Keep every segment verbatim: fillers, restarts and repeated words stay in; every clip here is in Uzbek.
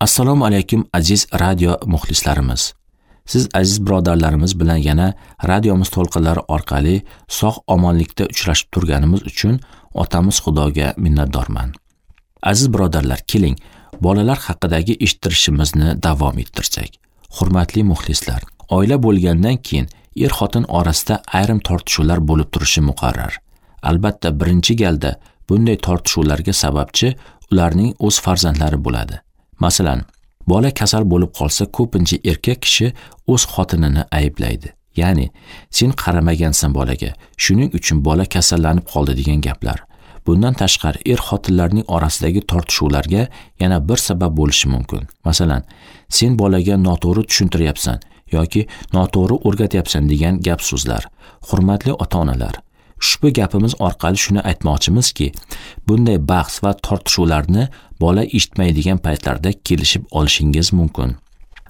Assalomu alaykum aziz radio muxlislarimiz. Siz aziz birodarlarimiz bilan yana radiomiz to'lqinlari orqali sog' omonlikda uchrashib turganimiz uchun otamiz Xudoga minnatdorman. Aziz birodarlar, keling, bolalar haqidagi eshittirishimizni davom ettirsak. Hurmatli muxlislar, oila bo'lgandan keyin er-xotin orasida ayrim tortishuvlar bo'lib turishi muqarrar. Albatta, birinchi galda bunday tortishuvlarga sababchi ularning o'z farzandlari bo'ladi. Masalan, bola kasal bo'lib qolsa, ko'pincha erkak kishi o'z xotinini ayblaydi. Ya'ni, sen qaramagansan bolaga, shuning uchun bola kasallanib qoldi degan gaplar. Bundan tashqari, er-xotinlarning orasidagi tortishuvlarga yana bir sabab bo'lishi mumkin. Masalan, sen bolaga noto'g'ri tushuntiryapsan yoki noto'g'ri o'rgatyapsan degan gap so'zlar. Hurmatli ota-onalar, ushbu gapimiz orqali shuni aytmoqchimizki, bunday bahs va tortishuvlarni bola eshitmaydigan paytlarda kelishib olishingiz mumkin.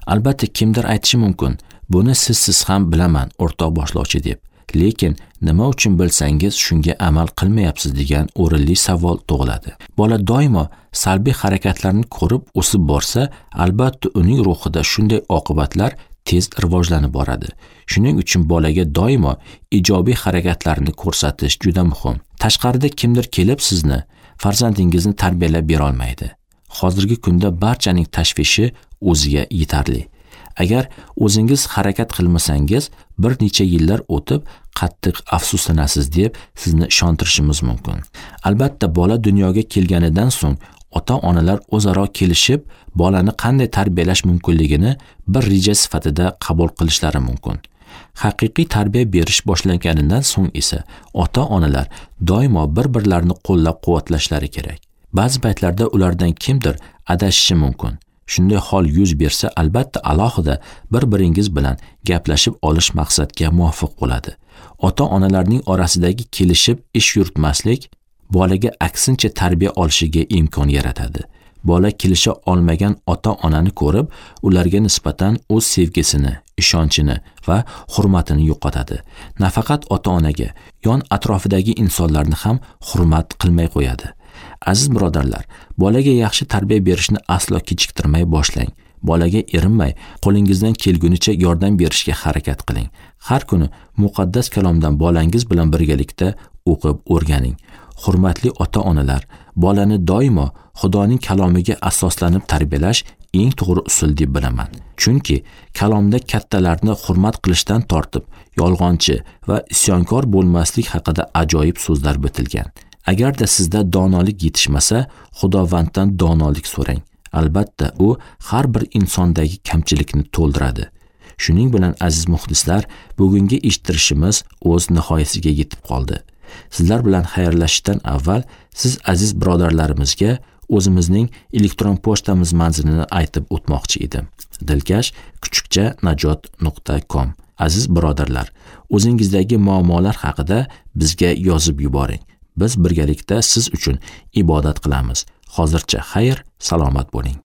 Albatta, kimdir aytishi mumkin, buni sizsiz ham bilaman, o'rtoq boshlovchi deb. Lekin nima uchun bilsangiz shunga amal qilmayapsiz degan o'rinli savol tug'iladi. Bola doimo salbiy harakatlarni ko'rib o'sib borsa, albatta uning ruhida shunday oqibatlar tez rivojlanib boradi. Shuning uchun bolaga doimo ijobiy harakatlarni ko'rsatish juda muhim. Tashqarida kimdir kelib sizni, farzandingizni tarbiyalab bera olmaydi. Hozirgi kunda barchaning tashvishi o'ziga yetarli. Agar o'zingiz harakat qilmasangiz, bir necha yillar o'tib qattiq afsuslanasiz deb sizni ishontirishimiz mumkin. Albatta, bola dunyoga kelganidan so'ng ota-onalar o'zaro kelishib, bolani qanday tarbiyalash mumkinligini bir reja sifatida qabul qilishlari mumkin. Haqiqiy tarbiya berish boshlanganidan so'ng esa ota-onalar doimo bir-birlarini qo'llab-quvvatlashlari kerak. Ba'zi paytlarda ulardan kimdir adashishi mumkin. Shunday hol yuz bersa, albatta alohida bir-biringiz bilan gaplashib olish maqsadga muvofiq bo'ladi. Ota-onalarning orasidagi kelishib ish yuritmaslik bolaga aksincha tarbiya olishiga imkon yaratadi. Bola kelisha olmagan ota-onani ko'rib, ularga nisbatan o'z sevgisini, ishonchini va hurmatini yo'qotadi. Nafaqat ota-onaga, yon atrofidagi insonlarni ham hurmat qilmay qo'yadi. Aziz birodarlar, bolaga yaxshi tarbiya berishni aslo kechiktirmay boshlang. Bolaga erinmay, qo'lingizdan kelgunicha yordam berishga harakat qiling. Har kuni muqaddas kalomdan bolangiz bilan birgalikda o'qib o'rganing. Hurmatli ota-onalar, bolani doimo Xudoning kalomiga asoslanib tarbiyalash eng to'g'ri usul deb bilaman. Chunki kalomda kattalarni hurmat qilishdan tortib, yolg'onchi va isyonkor bo'lmaslik haqida ajoyib so'zlar bitilgan. Agarda sizda donolik yetishmasa, Xudovanddan donolik so'rang. Albatta, u har bir insondagi kamchilikni to'ldiradi. Shuning bilan aziz muxlislar, bugungi eshittirishimiz o'z nihoyasiga yetib qoldi. Sizlar bilan xayrlashishdan avval siz aziz birodarlarimizga o'zimizning elektron pochtamiz manzilini aytib o'tmoqchi edim. Dilkash kuchukcha najot nuqta com. Aziz birodarlar, o'zingizdagi muammolar haqida bizga yozib yuboring. Biz birgalikda siz uchun ibodat qilamiz. Hozircha xayr, salomat bo'ling.